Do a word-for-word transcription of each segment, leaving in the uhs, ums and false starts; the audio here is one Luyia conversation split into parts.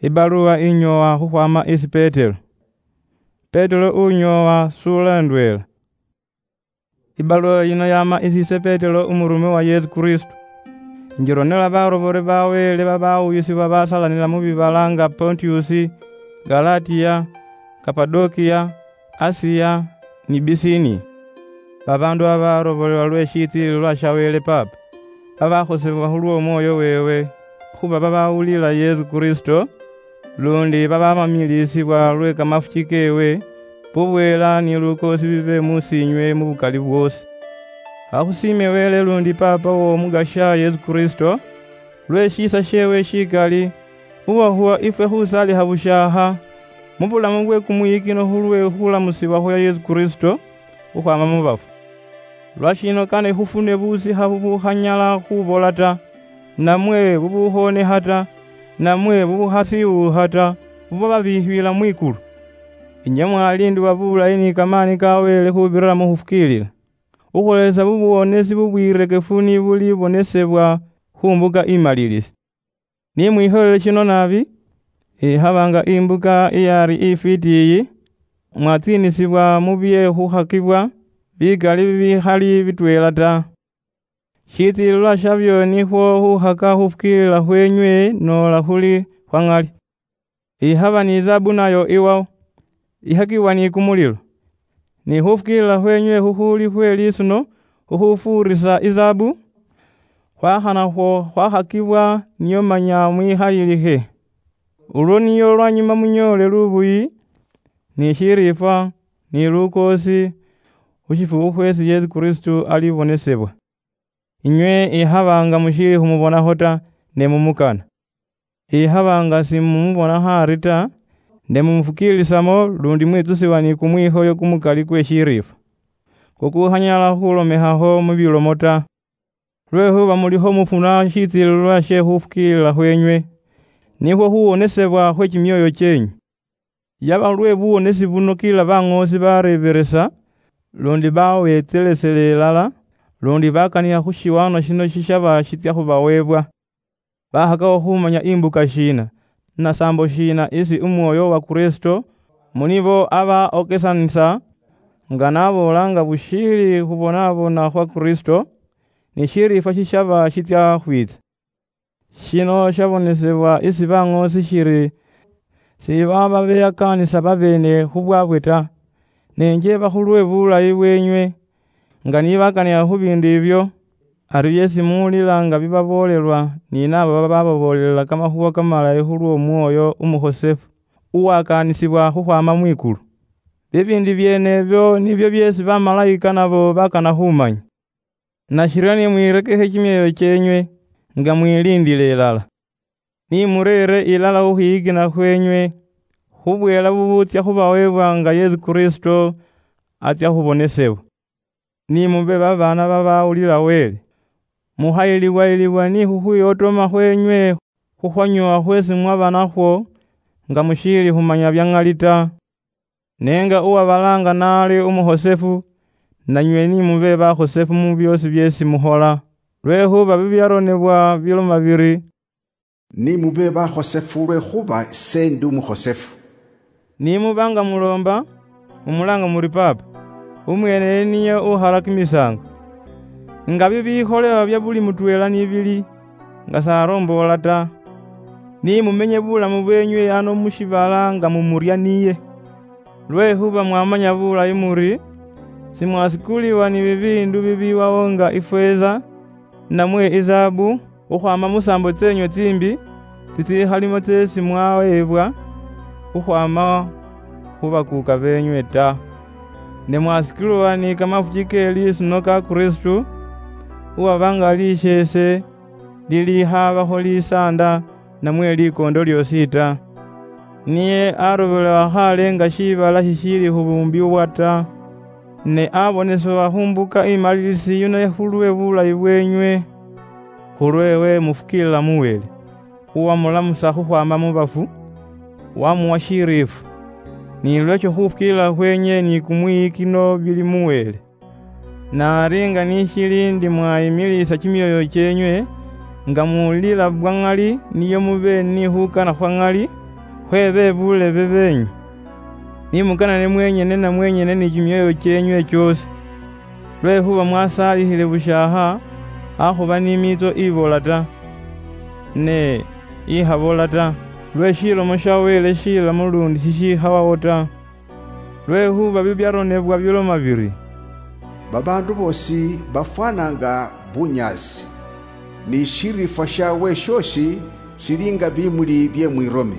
Ibaluwa inyoowa khukhwama isi Petero. Petero unyoowa sula ndweela. Ibaluwa yino yama isi ise Petero, umurume wa Yesu Kristo. Injironela barobore ba Wele babawuyisibwa basalanila mu bibala nga Pontiusi, Galatiya, Kapadokiya, Asiya, ni Bisiniya. Babandu abarobolelwa lwe shitsiililwa sha Wele Papa, babakhosebwa khulw'omwoyo wewe, khuba babawulila Yesu Kristo, lundi babamamilisibwa lwe kamafuchi kewe, bubwela ni lukoosi bibe musinywe mu bukali bwosi. Akhusiime Wele lundi Papa w'Omugasha Yesu Kristo, lwe shiisa shewe shikali, uwahuwa ifwe khusalikha bushaakha mu bulamu bwe kumuyikino khulwe khulamusibwa khwa Yesu Kristo khukhwama mu bafu. Lwashino kane khufune busikha bubukhanyala khubola ta, namwe bubukhoonekha ta, namwe bubukhasiwuukha ta, bubwa babikhibila mwikulu. Inywe mwalindibwa bulayi ni kamaani ka Wele khubirira mu khufukiilila, ukholesa bubuwonesi bubwirekefu ni bulibonesebwa khu mbuka imalilisi. Ni mwikholele shino naabi, ikhaba nga imbuka iyari ifwiti iyi, mwatsiinisibwa mu bye khukhakibwa bikali bibikhali bitweela ta. Shitsiililwa shabyo nikhwo khukhaka khufukiilila khwenywe noola khuli khwa ŋali. Ikhaba ni izaabu nayo iwao, ikhakibwa ni kumulilo. Ni khufukiilila khwenywe khukhuli khwe lisuno khukhufuurisa izaabu, khwakhana khwo khwakhakibwa niyo manya mwikhalilihe. Ulwo niyo lwanyuma munyoole lubuyi, ni shiriifwa, ni lukoosi, khu shifukhu khwesi Yesu Kristo alibonesebwa. Inywe ikhaba nga mushiili khumubonakho ta, ne mumukana. Ikhaba nga simumubonakho ari ta, ne mumufukiilisamo, lundi mwitsusibwa ni kumwikhoyo kumukali kwe shiriifwa, kukukhanyala khulomekhakho mu bilomo ta. Lwekhuba mulikho mufuna shitsiililwa she khufukiilila khwenywe, nikhwo khuwonesebwa khwe kimioyo chienywe. Yaba lwe buwonesi buno kila baŋoosi bareeberesa, lundi bawetselesele ilala, lundi bakanikha khu shiwaanwa shino shishaba shitsia khubawebwa. Bakhakawo khumanya imbuka shiina, nasambo shiina isi umwoyo wa Kristo munibo aba okesanisa, nga naboola nga bushiili khubonabona khwa Kristo, ni shiriifwa shishaba shitsia khwitsa. Shino shabonesebwa isi baŋoosi shiri, sibaba beyakaanisa babeene khubwabwe ta, ne njeba khulwe bulayi bwenywe, nga nibakanikha khu biindu ibyo, ari byesi muwulila nga bibaboolelwa ni nabo babababoolelela kamakhuwa kamalayi khulw'Omwoyo Umukhosefu, uwakaanisibwa khukhwama mwikulu. Bibiindu byeene ibyo nibyo byeesi bamalayika nabo bakana khumanya. Nashiryo ni mwirekekhe kimyoyo kyenywe, nga mwiliindile ilala. Ni mureere ilala khukhwiyikina khwenywe, khubweela bubutsia khubawebwa nga Yesu Kristo atsia khubonesebwa. Ni mube babaana babawulila Wele. Mukhayilibwa-yilibwa ni khukhwiyotoma khwenywe khukhwanyuwa khwesi mwaba nakhwo, nga mushiili khumanya bya ŋali ta. Ne nga uwabalaanga naali umukhosefu, nanywe ni mube bakhosefu mu byoosi byeesi mukhola, lwekhuba bibyaronebwa biloma biri, "Ni mube bakhosefu, lwekhuba ise ndi umukhosefu." Ni muba nga muloomba, mumulaanga muri Paapa, umweene niye ukhala kimisaango. Nga bibikholebwa bya buli mutweela ni bili, nga s'aromboola ta, ni mumenye bulamu bwenywe ano mu shiibala nga mumurya niye. Lwekhuba mwamanya bulayi muri, simwasikuliwa ni bibiindu bibiiwawo nga ifeeza, namwe izaabu, khukhwaama mu saambo tseenywe tsimbi, tsitsiikhalimo tseesi mwaweebwa khukhwaama khu bakuuka beenywe ta. Ne mwasikilwa ni kamafuki ke lisuno ka Kristu, uwaba nga lisheese, lilikhaabakho lisaanda namwe likoondo lyoosi ta. Niye arobolewa khaale nga shiibala shishiili khubuumbibwa ta, ne abonesebwa khu mbuka imalilisi yuno khulwe bulayi bwenywe. Khulwewe mufukiilila mu Wele, uwamulamusa khukhwaama mu bafu, wamuwa shiriifwa, ni lwekyo khufukiilila khwenywe ni kumwiyikino bili mu Wele. Nari nga nishili ndi mwayimilisa kimyoyo kyenywe, nga muwulila bwa ŋali niyo mube ni khukana khwa ŋali, Khwebe bulebe benyu, nimukanane mwenyene na mwenyene ni chimioyo chienywe chiosi, lwekhuba mwasalikhile bushiakha, akhuba ni mitso ibola ta, ne ikhabola ta, lwe shilomo shia Wele shilamu lundi shishikhawawo ta. Lwekhuba bibiaronebwa biloma biri, "Babaandu boosi bafwana nga bunyaasi, ni shiriifwa shaawe shoosi shili nga bimuli bye mwirome.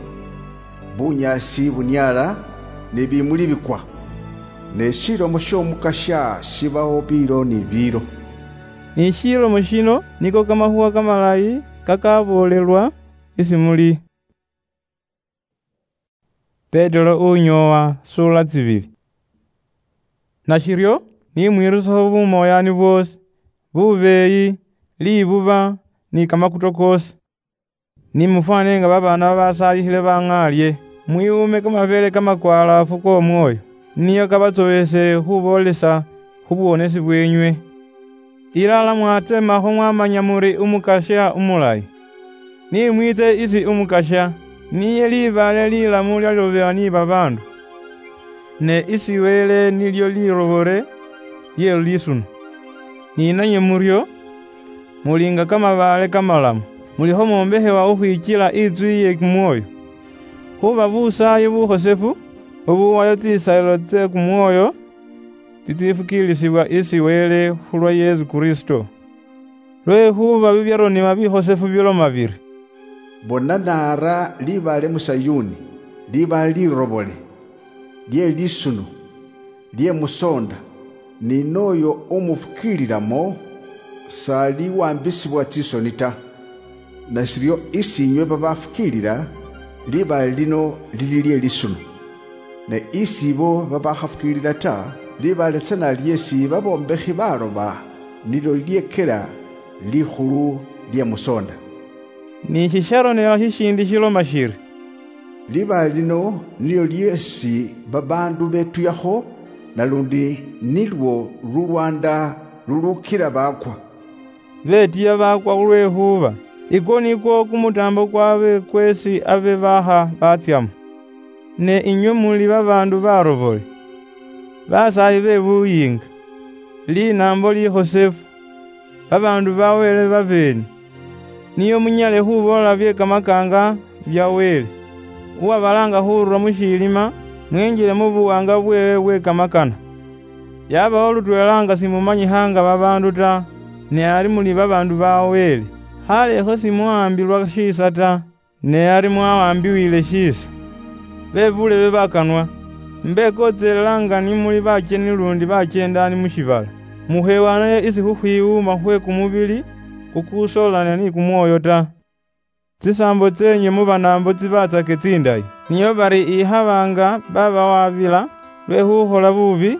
Bunyaasi buniala, ni bimuli bikwa, ne shilomo sh'Omukasya shibawo biilo ni biilo." Ni shilomo shino niko kamakhuwa kamalayi kakaboolelwa isi muli. Petero unyoowa sura tsibili. Nashiryo, ni mwirusakho bumoyaani bwoosi, bubeeyi, libuba, ni kamakuto koosi. Ni mufwane nga babaana babasaalikhile bang'aalye, mwiwuume kamabeele kamakwalaafu k'Omwoyo, niyo kabatsowese khuboolesa khu buwonesi bweenywe. Ilala mwatsemakho mwamanya muri Umukasya umulayi. Ni mwitse isi Umukasya, niye libaale lilamu lyalobebwa ni babaandu, ne isi Wele nilyo lirobore lye lisuno. Ni nanywe muryo, muli nga kamabaale kamalamu, mulikho mwombekhebwa khukhwichila itsu iye kumwoyo. Khuba busaayi bukhosefu, bubuwayo tsisalilo tse kumwoyo, tsitsifukiilisibwa isi Wele khulwa Yesu Kristo. Lwekhuba bibiaronebwa bikhosefu biloma biri, "Bona naara libaale mu Sayuni, libaale lirobole, lye lisuno, lye musonda, ni nooyo umufukiililamo, s'aliwambisibwa tsisoni ta." Nashiryo isi inywe babafukiilila, libaale lino lili lye lisuno. Ne isi ibo babakhafukiilila ta, libaale tsana lyeesi babombekhi baloba nilyo lyekela likhulu lye musonda. Ni shisharonebwa shishindi shiloma shiri, "Libaale lino nilyo lyeesi babaandu betuyakho, nalundi nilwo lulwanda lulukila baakwa." Betiya baakwa khulwekhuba ikwo nikwo kumutaambo kwabwe kweesi abe baakha batsyamo. Ne inywe muli babaandu barobole, basaayi be buyiinga, linaambo likhosefu, babaandu ba Wele babeene, nio munyale khuboola bye kamakaanga bya Wele, uwabalaanga khurula mu shilima, mwenjile mu buwaanga bweewe bwe kamakana. Yabaho lutweela nga simumanyikha nga babaandu ta, ne ari muli babaandu ba Wele. Khalekho simuhambilwa shiisa ta, ne ari mwawambiwile shiisa. Be bulebe bakanwa, mbekotselela nga ni muli bacheni lundi bachendaani mu shiibala, mukhewanayo isi khukhwiwuuma khwe kumubili kukusoolana ni kumwoyo ta. Tsisaambo tseenywe muba naambo tsibatsake tsindayi, nio bari ikhaba nga babawabila lwe khukhola bubi,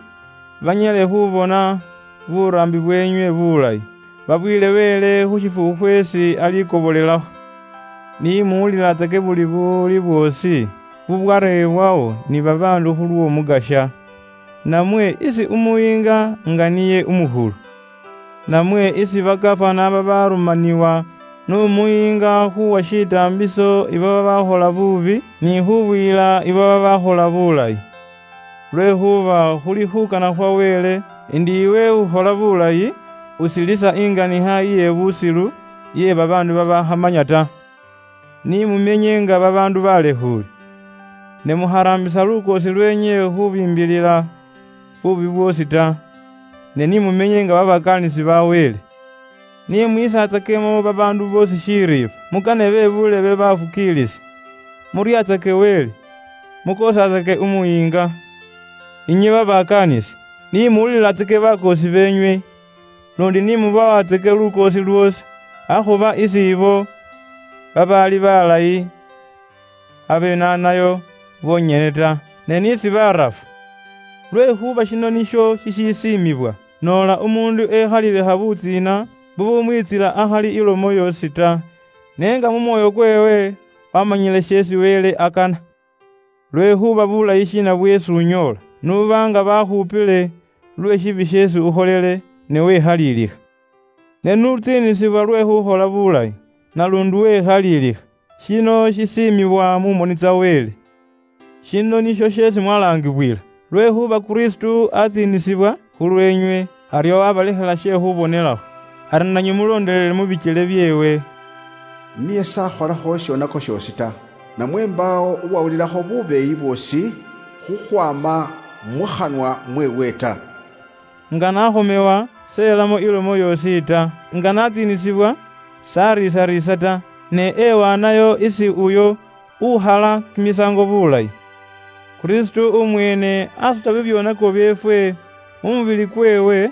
banyale khubona buraambi bweenywe bulayi, babwile Wele khu shifukhu khweesi alikobolelakho. Ni muwulilatsake buli buwuli bwoosi bubwareebwawo ni babaandu khulw'Omukasya. Namwe isi umuyiinga nga niye umukhulu. Namwe isi bakafana babarumaniwa n'umuyiinga khuwa shitaambiso ibo babakhola bubi, ni khubuyila ibo babakhola bulayi. Lwekhuba khuli khukana khwa Wele, indi iwe ukhola bulayi, usilisa inganikha iye busilu iye babaandu babakhamanya ta. Ni mumenye nga babaandu balekhuule, ne mukharaambisa lukoosi lweenywe khubimbilila bubi bwoosi ta, ne ni mumenye nga babakaanisi ba Wele. Ni mwisatsakemo babaandu boosi shiriifwa, mukane be bulebe bafukiilisi, muryatsake Wele, mukoosatsake umuyiinga. Inywe babakaanisi, ni muwulilatsake bakoosi beenywe, lundi ni mubawatseke lukoosi lwoosi, akhuba isi ibo babaali balayi abenanayo bonyene ta, ne ni isi barafu. Lwekhuba shino nisho shishisiimibwa, noola umuundu ekhalile habutsiina bubumwitsila akhali ilomo yoosi ta, ne nga mu mwoyo kweewe wamanyile sheesi Wele akana. Lwekhuba bulayi shiina bweesi unyoola, nuba nga bakhupile lwe shibi sheesi ukholele, ne wekhalilikha? Ne nutsiinisibwa lwe khukhola bulayi, nalundi wekhalilikha, shino shisiimibwa mu moni tsa Wele, Shino nisho shesi mwalangibwila, lwekhuba Kristo atsiinisibwa khulwenywe, ario wabalekhela she khubonelakho, ari nanywe mulondelele mu bichele byeewe. Niye sakholakho shionako shiosi ta, namwe mbaawo uwawulilakho bubeeyi bwosi khukhwama mu khanwa mweewe ta. Nga nakhomewa, seyelamo ilomo yosi ta, nga natsiinisibwa, sariisa-riisa ta, ne ewaanayo isi uyo ukhala kimisango bulayi. Kristo umweene asuta bibyonako byeefwe mu mubili kweewe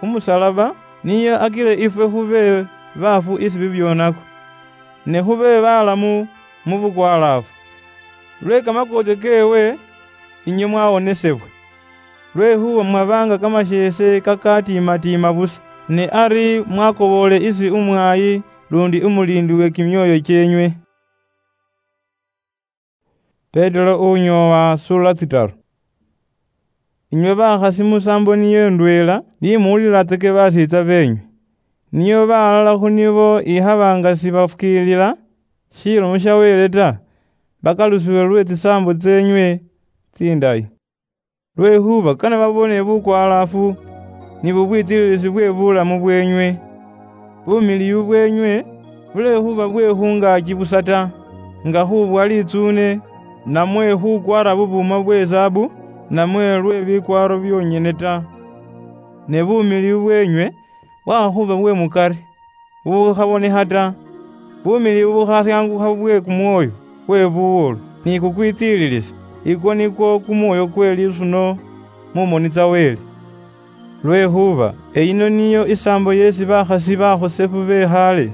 khu musalaba, niye akile ifwe khube baafu isi bibyonako, ne khube balamu mu bukwalaafu. Lwe kamakoote keewe, inywe mwawonesebwa. Lwekhuba mwabanga kamasheese kakatiima-tiima busa, ne ari mwakoboole isi umwaayi lundi umuliindi we kimyoyo kyeenywe. Petero unyoowa sura tsitaru. Inywe bakhasi musaambo niyo ndweela, ni muwulilatsake basiitsa beenywe. Niyo balala khu nibo ikhaba nga sibafukiilila shilomo sha Wele ta, bakalusiwe lwe tsisaambo tseenywe tsindayi. Lwekhuba kane babone bukwalaafu ni bubwitsililisi bwe bulamu bweenywe. Bumiliyu bweenywe bulekhuba bwe khungaaki busa ta, nga khubwa litsuune, namwe khukwara bubuuma bwe zaabu, namwe lwe bikwaaro byonyene ta. Ne bumiliyu bweenywe bwakhakhuba bwe mukari, bubukhabonekha ta, bumiliyu bukhasyaangukha bwe kumwoyo kwe buwolu ni kukwitsililisa, ikwo nikwo kumwoyo kwe lisuno mu moni tsa Wele. Lwekhuba eyino niyo isaambo yeesi bakhasi bakhosefu be khaale,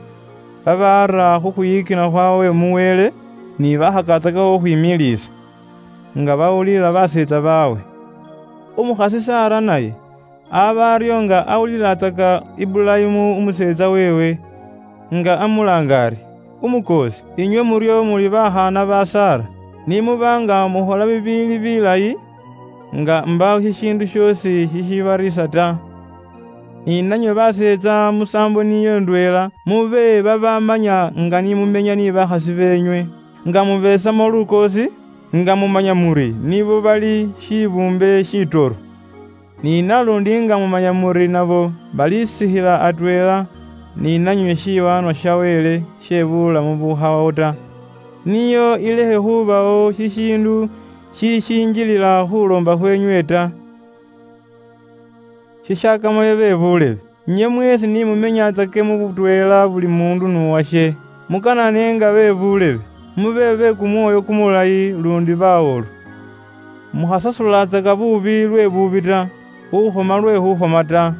babaara khu khwiyikina khwawe mu Wele, ni bakhakatsakakho khwimiliisa, nga bawulila baseetsa baawe. Umukhasi Sara naye aba aryo nga awulilatsaka Ibulayimu umuseetsa weewe, nga amulaanga ari, "Umukoosi." Inywe muryo muli bakhaana ba Sara, ni muba nga mukhola bibiili bilayi, nga mbaawo shishiindu shoosi shishibariisa ta. Ni nanywe baseetsa musaambo niyo ndweela, mube babamanya nga ni mumenya ni bakhasi beenywe, nga mubeetsamo lukoosi, nga mumanya muri nibo bali shibuumbe shitoro. Ni nalundi nga mumanya muri nabo balisikhila atweela ni nanywe shiwaanwa sha Wele she bulamu bukhawawo ta, niyo ilekhe khubawo shishiindu shishinjilila khuloomba khweenywe ta. Shishakamayo be buulebe, inywe mweesi ni mumenyatsake mu butweela buli muundu n'uwashe, mukanane nga be buulebe, mube be kumwoyo kumulayi lundi bawolu. Mukhasasulatsaka buubi lwe buubi ta, khukhoma lwe khukhoma ta,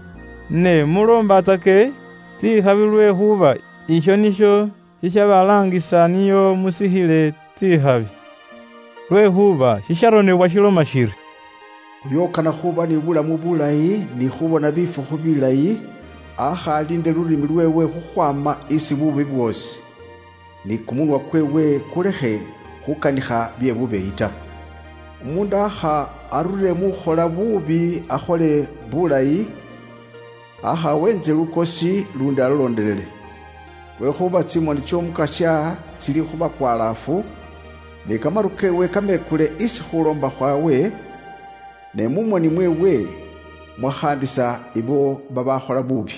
ne muloombatsake tsikhabi, lwekhuba isho nisho shishabalaangisa niyo musikhile tsikhabi. Lwekhuba shisharonebwa shiloma shiri, "Uyo ukana khuba ni bulamu bulayi ni khubona bifukhu bilayi, akhaliinde lulimi lweewe khukhwama isi buubi bwoosi, ni kumunwa kweewe kulekhe khukanikha bye bubeeyi ta. Umuundu akha arure mu khukhola buubi akhole bulayi, akha wenze lukosi lundi alolondelele. Lwekhuba tsimoni tsy'Omukasya tsili khu bakwalaafu, ne kamaru keewe kamekule isi khuloomba khwawe, ne mu moni mweewe mwakhaandisa ibo babakhola buubi."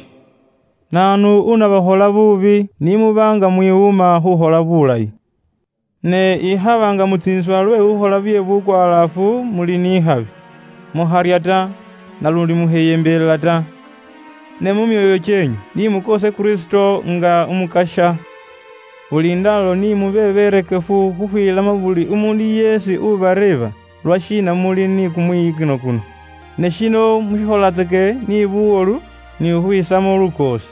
Naanu unabakhola buubi ni muba nga mwiwuma khukhola bulayi? Ne ikhaba nga mutsiinswa lwe khukhola bye bukwalaafu muli ni ikhabi, mukharya ta, nalundi mukheyembelela ta. Ne mu myoyo kyeenywe ni mukoose Kristo nga Umukasya. Buli ndaalo ni mube berekefu khukhwiilamo buli umuundu yeesi ubareeba lwashiina muli ni kumwiyikino kuno. Ne shino mushikholetseke ni buwolu ni khukhwiisamo lukoosi.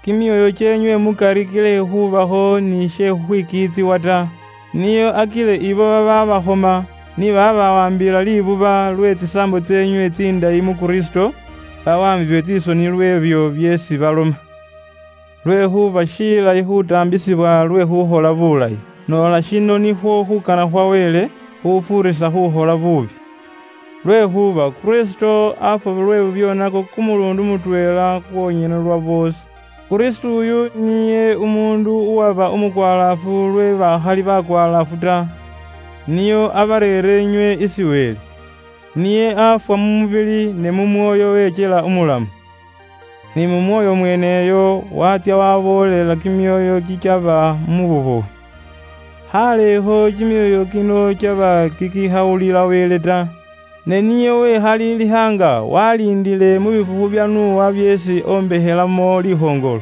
Kimyoyo kyeenywe mukari kilekhe khubakho ni she khukhwikiitsiwa ta, niyo akile ibo bababakhoma ni babawambila libuba lwe tsisaambo tseenywe tsindayi mu Kristo, bawambibwe tsisoni lw'ebyo byeesi baloma. Lwekhuba shilayi khutaambisibwa lwe khukhola bulayi, noola shino nikhwo khukana khwa Wele khufuurisa khukhola buubi. Lwekhuba Kristo afwa lwe bubyoonako kumuluundu mutweela kwonyene lwa boosi. Kristo uyu niye umuundu uwaba umukwalaafu lwe bakhali bakwalaafu ta, niyo abareere inywe isi Wele. Niye afwa mu mubili, ne mu mwoyo wechela umulamu. Ni mu mwoyo mweneyo watsia waboolela kimioyo kichaba mu bubowe. Haleho kimioyo kino chaba kikihawulila Wele ta, ne niye wekhali lihanga walindile mu bifufu bia Nuwa biesi ombekhelamo lihongolo.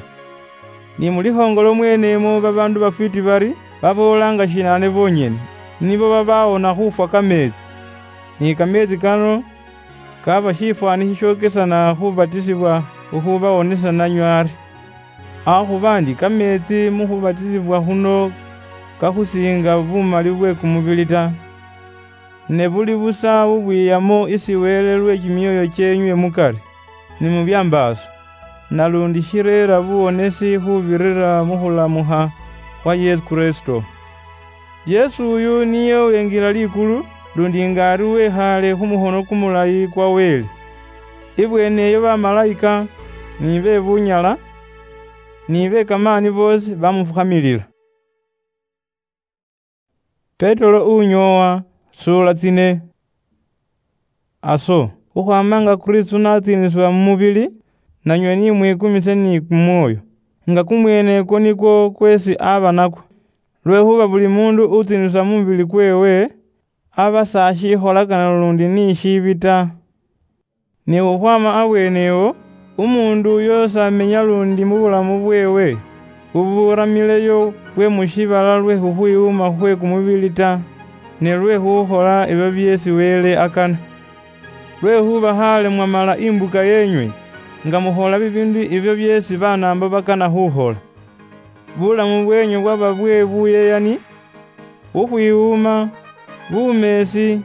Ni mu lihongolo mwenemo babandu bafwiti bari baboolanga shinane bonyene, nibo babawona khufwa kametsi. Ni kametsi kano kaba shifwani shishokesana khubatisibwa khukhubawonesa nanywe ari, akhuba ndi kametsi mukhubatisibwa khuno kakhusinga bumali bwe kumubili ta, ne buli busa bubwiyamo isi Wele lwe kimioyo chienywe mukari, ni mu biambaaso, nalundi shireera buwonesi khubirira mu khulamukha khwa Yesu Kristo. Yesu uyu niye wengila likulu, lundi nga ari wekhaale khu mukhono kumulayi kwa Wele. Ibweene eyo bamalaika, ni be bunyala, ni be kamaani boosi bamufukhamilila. Petero unyoowa, suula tsine. Aso, khukhwama nga Kristu natsiinisibwa mu mubili, nanywe ni mwikumise ni kumwoyo, nga kumweene ikwo nikwo kweesi aba nakwo. Lwekhuba buli mundu utsiinisibwa mu mubili kweewe, aba sa shikholakana lundi ni shiibi ta. Ne khukhwama abweene ewo, umuundu uyo s'amenya lundi mu bulamu bweewe buburamileyo bwe mu shiibala lwe khukhwiwuuma khwe kumubili ta, ne lwe khukhola ebyo byeesi Wele akana. Lwekhuba khale mwamala imbuka yenywe, nga mukhola bibiindu ebyo byeesi Banaambo bakana khukhola. Bulamu bwenywe bwaba bwe buyeyani, khukhwiwuuma, bumeesi,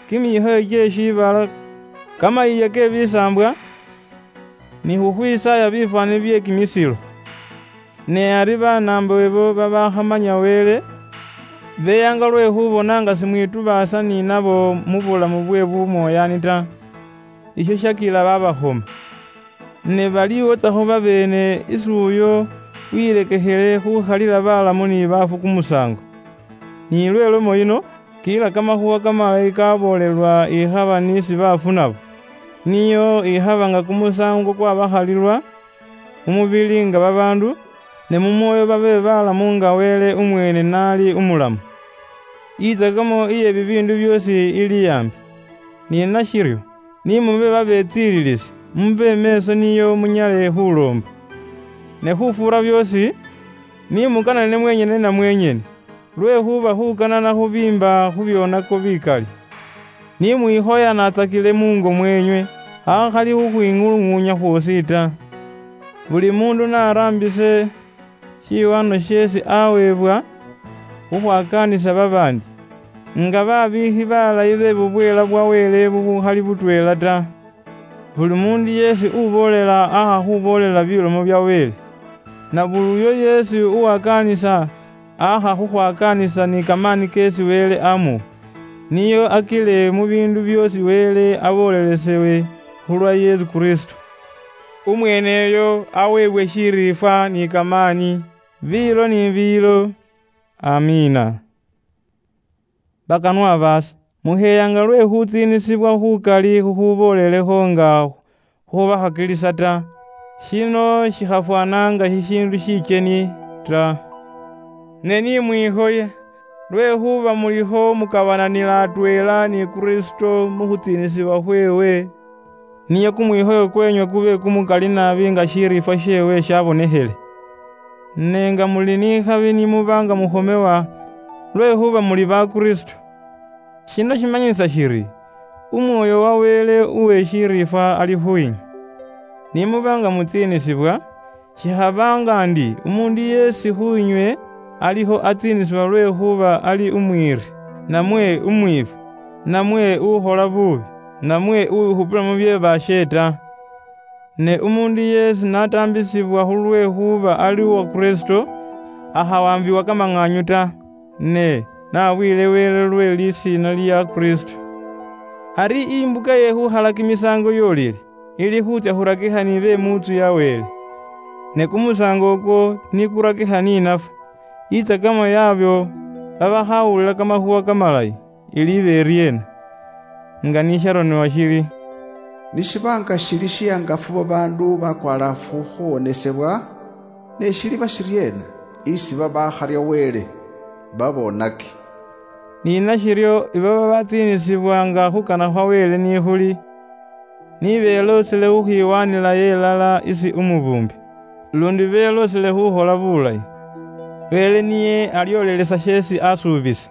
kimikhoyo kye shiibala, kamayiiya ke bisaambwa, ni khukhwisaaya bifwaani bye kimisilo. Ne ari Banaambo ibo babakhamanya Wele, beyaanga lwe khubona nga simwitubaasa ni nabo mu bulamu bwe bumwoyaani ta. Isho shakila babakhoma. Ne baliwotsakho babeene isi uyo wilekekhele khukhalila balamu ni baafu kumusaango. Ni lwe lomo yino, kila kamakhuwa kamalayi kaboolelwa ikhaba ni si baafu nabo, niyo ikhaba nga kumusaango kwabakhalilwa mu mubili nga babaandu, ne mu mwoyo babe balamu nga Wele umweene nali umulamu. Itsakamo iye bibiindu byoosi ili ambi. Ni nashiryo, ni mube babetsiililisi, mube meeso niyo munyale khuloomba. Ne khufuura byoosi, ni mukanane mwenyene na mwenyene, lwekhuba khukanana khubiimba khu byonako bikali. Ni mwikhoya natsakile mungo mwenywe, hakhali khukhwing'ulung'unya khwosi ta. Buli mundu naraambise shiwano sheesi aweebwa khukhwakaanisa babaandi, nga babiikhi balayi be bubweela bwa Wele bubukhali butweela ta. Buli mundu yeesi uboolela akha khuboolela bilomo bya Wele, na buli uyo yeesi uwakaanisa akha khukhwakaanisa ni kamaani keesi Wele amuwa, niyo akile mu biindu byoosi Wele aboolelesewe khulwa Yesu Kristo. Umweeneyo aweebwe shiriifwa ni kamaani, biilo ni biilo. Amiina. Bakanwa baase, muheeyanga lwe khutsiinisibwa khukali khukhuboolelekho nga khubakhakilisa ta, shino shikhafwanaanga shishiindu shicheni ta. Ne ni mwikhoye, lwekhuba mulikho mukabananila atweela ni Kristo mu khutsiinisibwa khweewe, niye kumwikhoyo kwenywe kube kumukali naabi nga shiriifwa sheewe shabonekhele. Ne nga muli ni khabi ni muba nga mukhomewa, lwekhuba muli ba Kristo. Shino shimanyisa shiri, umwoyo wa Wele uwe shiriifwa ali khuinywe. Ni muba nga mutsiinisibwa, shikhabaanga ndi umundu yeesi khuinywe alikho atsiinisibwa lwekhuba ali umwiiri, namwe umwiifwa, namwe ukhola buubi, namwe uwikhupila mu bye baashe ta. Ne umundu yeesi n'ataambisibwa khulwekhuba ali uwa Kristo, akhawambiwa kamang'aanyu ta, ne n'abwiile Wele lwe lisiina lia Kristo. Ari imbuka ye khukhala kimisaango yolile, ili khutsya khurakikha ni be mu ntsu ya Wele. Ne kumusaango ukwo ni kurakikha ni nafwe, itsakamo yabyo babakhawulila kamakhuwa kamalayi, iliiba eriena? Nga nisharonebwa shili, "Nishibanga shili shihangafu babandu bakwalafu khuwonesebwa, ne shiliba shiriena isi babakharia Wele babonaki?" Ni nashiryo, ibo babatsiinisibwanga khukana khwa Wele nikhuli, nibeloosele khukhwiwanilayo elala isi Umubumbi, lundi beloosele khukhola bulayi. Wele niye aliolelesa sheesi asuubisa.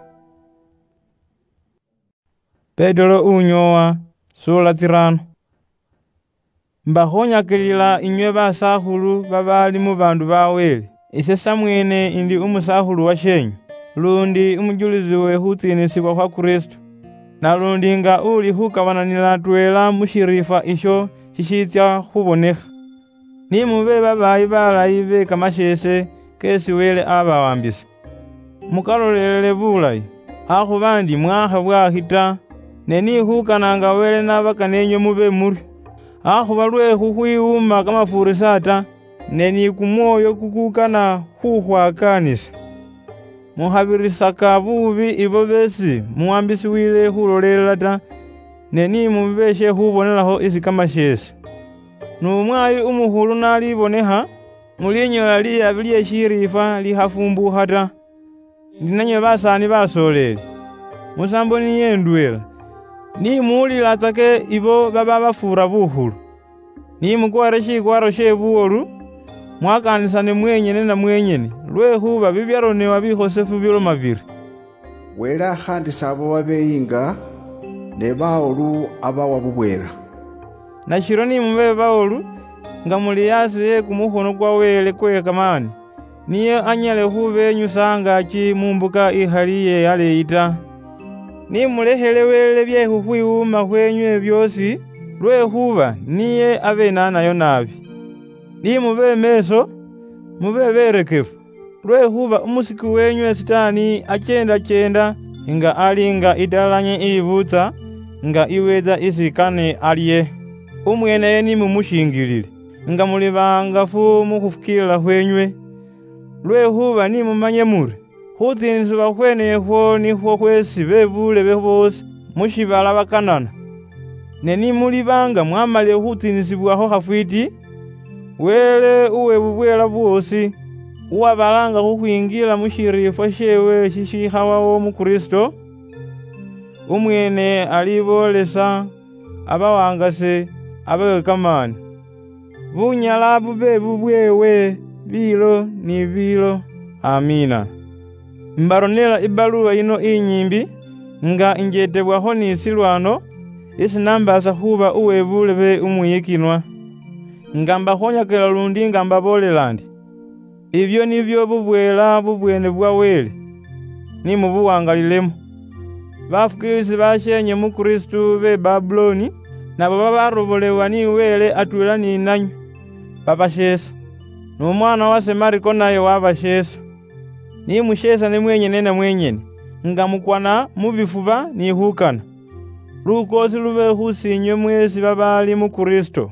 Petero unyoowa, sura tsirano. Mbakhonyakilila inywe basakhulu babaali mu bandu ba Wele, ise samweene indi umusakhulu washenyu, lundi umujulizi we khutsiinisibwa khwa Kristo, nalundi nga uli khukabananila atweela mu shiriifwa isho shishiitsya khubonekha. Ni mube babaayi balayi be kamasheese keesi Wele abawambisa. Mukalolelele bulayi, akhuba ndi mwaakha bwaakhi ta, ne ni khukananga Wele nabakana enywe mube muryo. Akhuba lwe khukhwiwuuma kamafuurisa ta, ne ni kumwoyo kukukana khukhwakaanisa. Mukhabirisaka buubi ibo beesi muwambisiwile khulolelela ta, ne ni mube she khubonelakho isi kamasheese. Nu mwayi umukhulu nalibonekha, mulinyoola liyabi lye shiriifwa likhafumbukha ta. Ndi nanywe basaani basoleeli, musambo niye ndweela, ni muwulilatsake ibo baba bafuura bukhulu. Ni mukwaare shikwaaro she buwolu, mwakaanisane mwenyene na mwenyene, lwekhuba bibyaronebwa bikhosefu biloma biri, "Wele akhaandisa abo babeyinga, ne bawolu abawa bubweela." Nashiryo ni mube bawolu, nga muli asi e kumukhono kwa Wele kwe kamaani, niye anyale khubenyusa angaaki mu mbuka ikhali iye aleeyi ta. Ni mulekhele Wele bye khukhwiwuuma khwenywe byoosi, lwekhuba niye abenaanayo naabi. Ni mube meeso, mube berekefu, lwekhuba umusiki wenywe Sitaani acheenda-cheenda nga ali nga italanye iyibuutsa, nga iweetsa isi kane alye. Umweeneye ni mumushiingilile, nga muli bahangafu mu khufukiilila khwenywe. Lwekhuba ni mumanye muri, khutsiinisibwa khwenekhwo nikhwo khweesi be buulebe boosi mu shiibala bakanana. Ne ni muliba nga mwamalile khutsiinisibwakho khafwiiti, Wele uwe bubweela bwoosi, uwabalaanga khukhwingiila mu shiriifwa sheewe shishiikhawawo mu Kristo, umweene aliboolesa abawaangase abe kamaani. Bunyala bube bubweewe biilo ni biilo. Amiina. Imbaronela ibaluwa yino inyiimbi, nga injeetebwakho ni silwano, isi nambaasa khuuba uwe buulebe umwiyikinwa, nga mbakhonyakela lundi nga mbaboolela ndi, ibyo nibyo bubweela bubweene bwa Wele, ni mubuwangalilemo. Bafukiilisi basheenye mu Kristu be Babuloni, nabo babarobolebwa ni Wele atweela ni nanywe, babasheesa. N'umwaana wase Mariko naye wabasheesa. Ni musheesane mwenyene na mwenyene, nga mukwana mu bifuba ni khukana. Lukoosi lube khu siinywe mweesi babaali mu Kristo.